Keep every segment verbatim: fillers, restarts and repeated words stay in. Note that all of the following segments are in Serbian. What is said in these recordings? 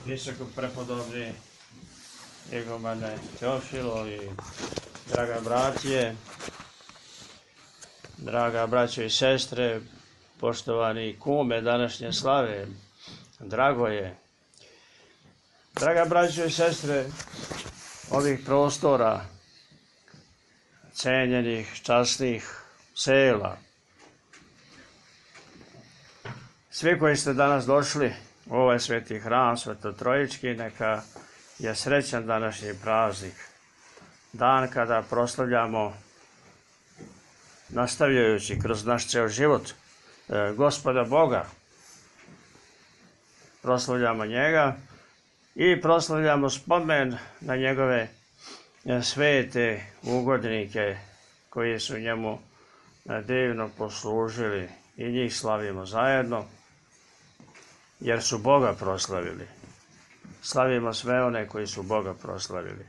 visoko prepodobni Igumane Teofilo i draga bratije, draga braćo i sestre, poštovani kume današnje slave, Dragoje, draga braćo i sestre ovih prostora, cenjenih, časnih sela, svi koji ste danas došli u ovaj sveti hram, Svetotrojički, neka je srećan današnji praznik, dan kada proslavljamo, nastavljajući kroz naš ceo život, Gospoda Boga. Proslavljamo njega i proslavljamo spomen na njegove svete ugodnike koji su njemu divno poslužili i njih slavimo zajedno, jer su Boga proslavili. Slavimo sve one koji su Boga proslavili.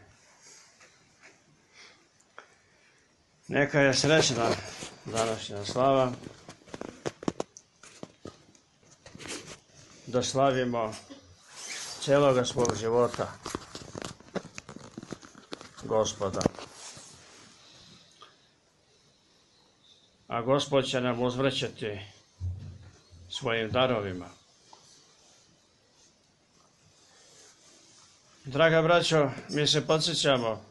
Neka je srećna današnja slava, da slavimo celoga svog života Gospoda. A Gospod će nam uzvraćati svojim darovima. Draga braćo, mi se podsjećamo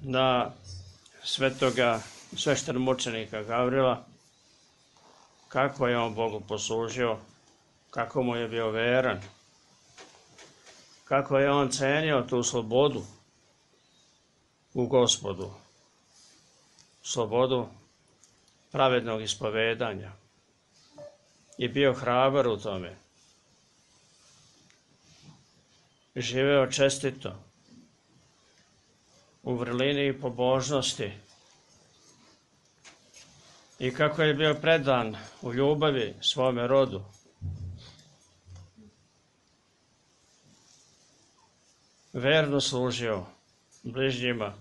na svetoga sveštenomučenika Gavrila, kako je on Bogu poslužio, kako mu je bio veran, kako je on cenio tu slobodu u Gospodu, slobodu pravednog ispovedanja i bio hrabar u tome. Živeo čestito, u vrlini i pobožnosti, i kako je bio predan u ljubavi svome rodu. Verno služio bližnjima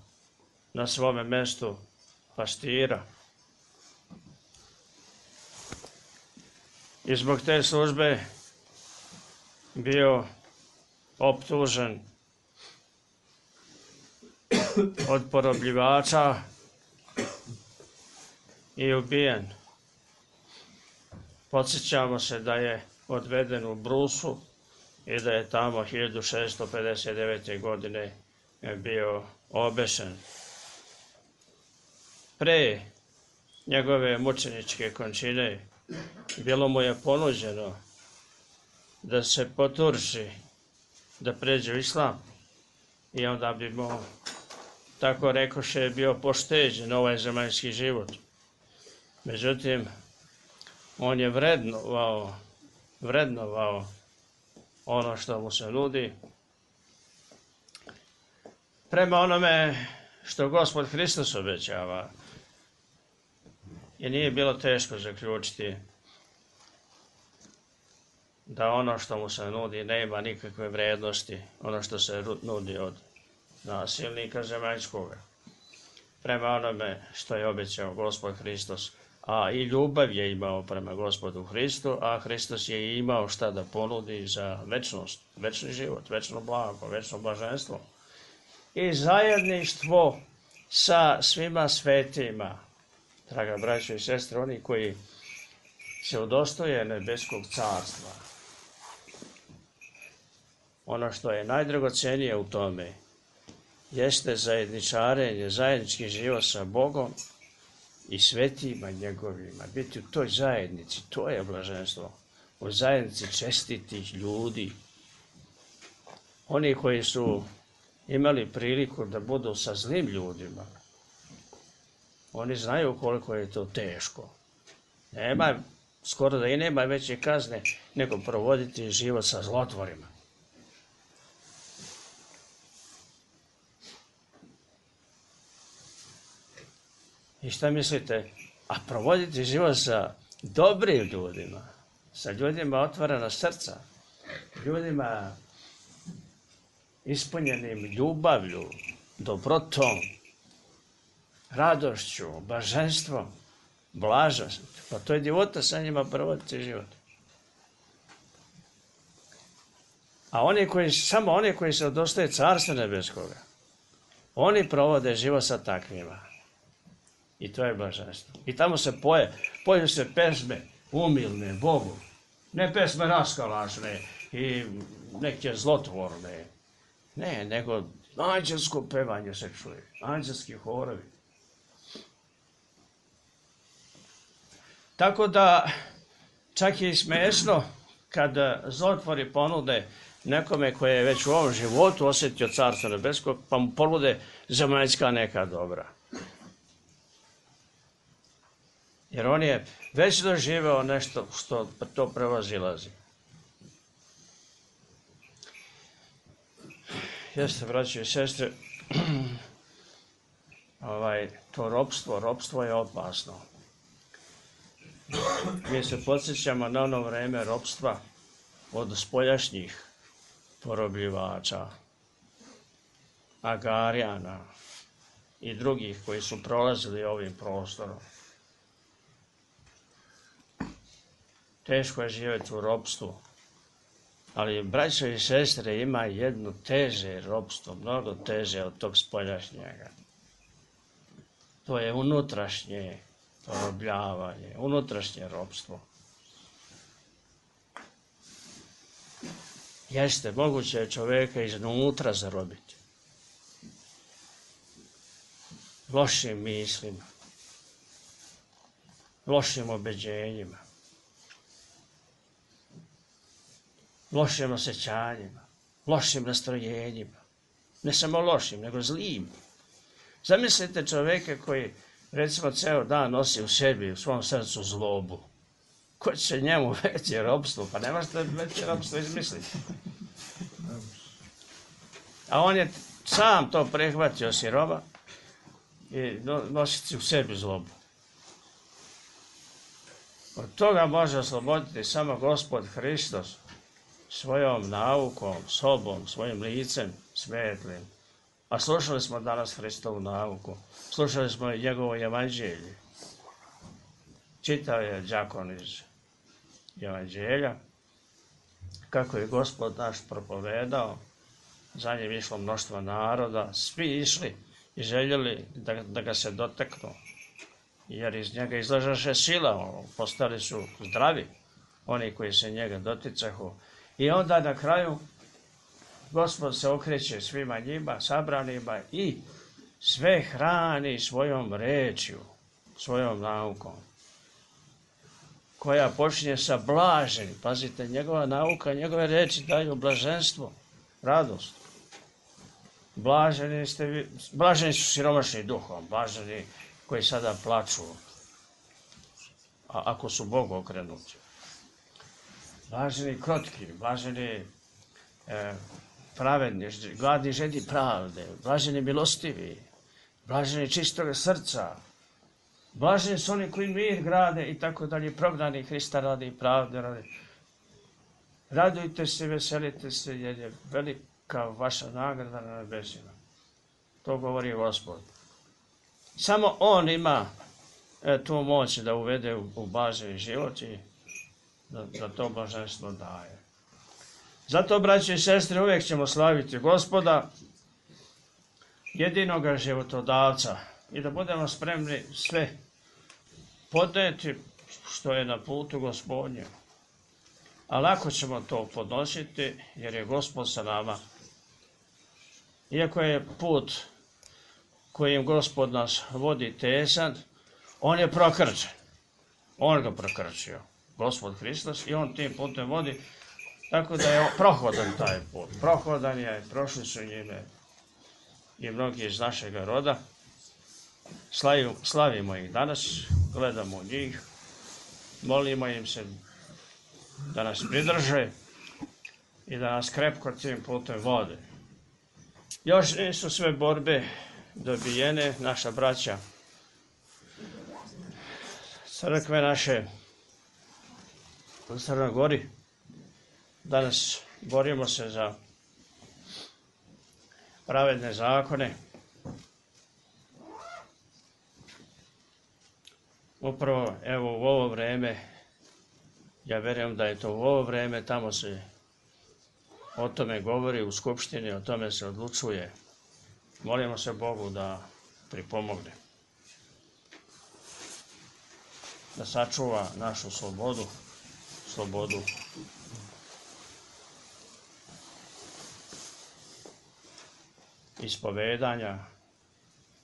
na svome mestu pastira. I zbog te službe bio optužen od porobljivača i ubijen. Podsjećamo se da je odveden u Brusu i da je tamo hiljadu šeststo pedeset devete. godine bio obešen. Pre njegove mučeničke končine bilo mu je ponuđeno da se poturši, da pređe u islam, i onda bi mu, tako rekoše, bio pošteđen ovaj zemaljski život. Međutim, on je vrednovao, vrednovao ono što mu se nudi prema onome što Gospod Hristos obećava. I nije bilo teško zaključiti da ono što mu se nudi nema nikakve vrednosti, ono što se nudi od nasilnika zemaljskoga, prema onome što je obećao Gospod Hristos. A i ljubav je imao prema Gospodu Hristu, a Hristos je imao šta da ponudi za večnost, večni život, večno blago, večno blaženstvo i zajedništvo sa svima svetima. Draga braćo i sestre, oni koji se udostoje nebeskog carstva, ono što je najdragocenije u tome jeste zajedničarenje, zajednički život sa Bogom i svetima njegovima. Biti u toj zajednici, to je blaženstvo. U zajednici čestitih ljudi. Oni koji su imali priliku da budu sa zlim ljudima, oni znaju koliko je to teško. Nema, skoro da i nema veće kazne nego provoditi život sa zlotvorima. I šta mislite? A provoditi život sa dobrim ljudima, sa ljudima otvorena srca, ljudima ispunjenim ljubavlju, dobrotom, radošću, blaženstvom, blažnost. Pa to je divota sa njima provoditi život. A oni koji, samo oni koji se odostaje Carstva nebeskoga, oni provode život sa takvima. I to je blaženstvo. I tamo se poje, poju se pesme umilne Bogu. Ne pesme raskalašne i neke zlotvorne. Ne, nego anđelsko pevanje se čuje. Anđelski horovi. Tako da čak je i smešno kad zlotvori ponude nekome koji je već u ovom životu osjetio Carstvo nebesko, pa mu ponude zemaljska neka dobra. Jer on je već doživeo nešto što to prevazilazi. Jeste, braći i sestre, ovaj, to ropstvo, ropstvo je opasno. Mi se podsjećamo na ono vreme ropstva od spoljašnjih porobljivača, Agarijana i drugih koji su prolazili ovim prostorom. Teško je živjeti u ropstvu, ali braćo i sestre ima jedno teže ropstvo, mnogo teže od tog spoljašnjega. To je unutrašnje porobljavanje, unutrašnje ropstvo. Jeste, moguće je čoveka iznutra zarobiti. Lošim mislima, lošim obeđenjima, lošim osjećanjima, lošim nastrojenjima. Ne samo lošim, nego zlim. Zamislite čoveka koji, recimo, ceo dan nosi u sebi, u svom srcu zlobu. Ko će njemu veće ropstvo? Pa ne možete veće ropstvo izmisliti. A on je sam to prihvatio siroma i nositi u sebi zlobu. Od toga može osloboditi samo Gospod Hristos svojom naukom, sobom, svojim licem svetlim. A slušali smo danas Hristovu nauku, slušali smo i njegovo evanđelje. Čitao je đakon iz evanđelja, kako je Gospod naš propovedao, za njim išlo mnoštvo naroda, svi išli i željeli da, da ga se dotaknu, jer iz njega izlažaše sila, postali su zdravi, oni koji se njega doticahu. I onda na kraju Gospod se okreće svima njima, sabranima i sve hrani svojom rečju, svojom naukom, koja počinje sa blaženim. Pazite, njegova nauka, njegove reči daju blaženstvo, radost. Blaženi, ste vi, blaženi su siromašni duhom, blaženi koji sada plaču, a ako su Bogu okrenuti. Blaženi krotki, blaženi e, pravedni, gladni žedi pravde, blaženi milostivi, blaženi čistog srca, blaženi su oni koji mir grade i tako dalje, prognani Hrista radi i pravde radi. Radujte se, veselite se, jer je velika vaša nagrada na nebesima. To govori Gospod. Samo On ima e, tu moć da uvede u, u blaženi život i da, da to blaženstvo daje. Zato, braći i sestre, uvijek ćemo slaviti Gospoda, jedinoga životodavca, i da budemo spremni sve podneti što je na putu Gospodnjem. A lako ćemo to podnositi, jer je Gospod sa nama. Iako je put kojim Gospod nas vodi tesan, on je prokrčen. On ga prokrčio, Gospod Hristos, i on tim putem vodi, tako da je prohodan taj put. Prohodan je, prošli su njime i mnogi iz našega roda. Slavimo, slavimo ih danas, gledamo njih, molimo im se da nas pridrže i da nas krepko tim putem vode. Još nisu sve borbe dobijene, naša braća, crkve naše u Crnoj Gori. Danas borimo se za pravedne zakone. Upravo, evo, u ovo vreme, ja vjerujem da je to u ovo vreme, tamo se o tome govori u skupštini, o tome se odlučuje. Molimo se Bogu da pripomogne, da sačuva našu slobodu, slobodu ispovedanja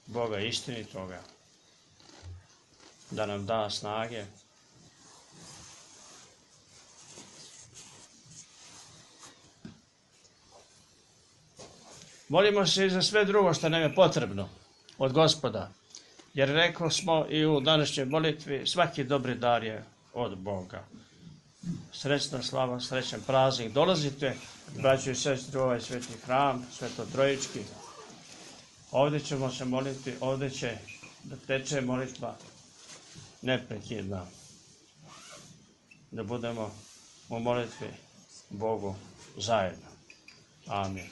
Boga istinitoga, da nam da snage molimo se i za sve drugo što nam je potrebno od Gospoda, jer rekli smo i u današnjoj molitvi, svaki dobri dar je od Boga. Srećna slava, srećan praznik. Dolazite, braćo i sestre, u ovaj sveti hram, Sveto-Trojički. Ovdje ćemo se moliti, ovdje će da teče molitva neprekidna. Da budemo u molitvi Bogu zajedno. Amin.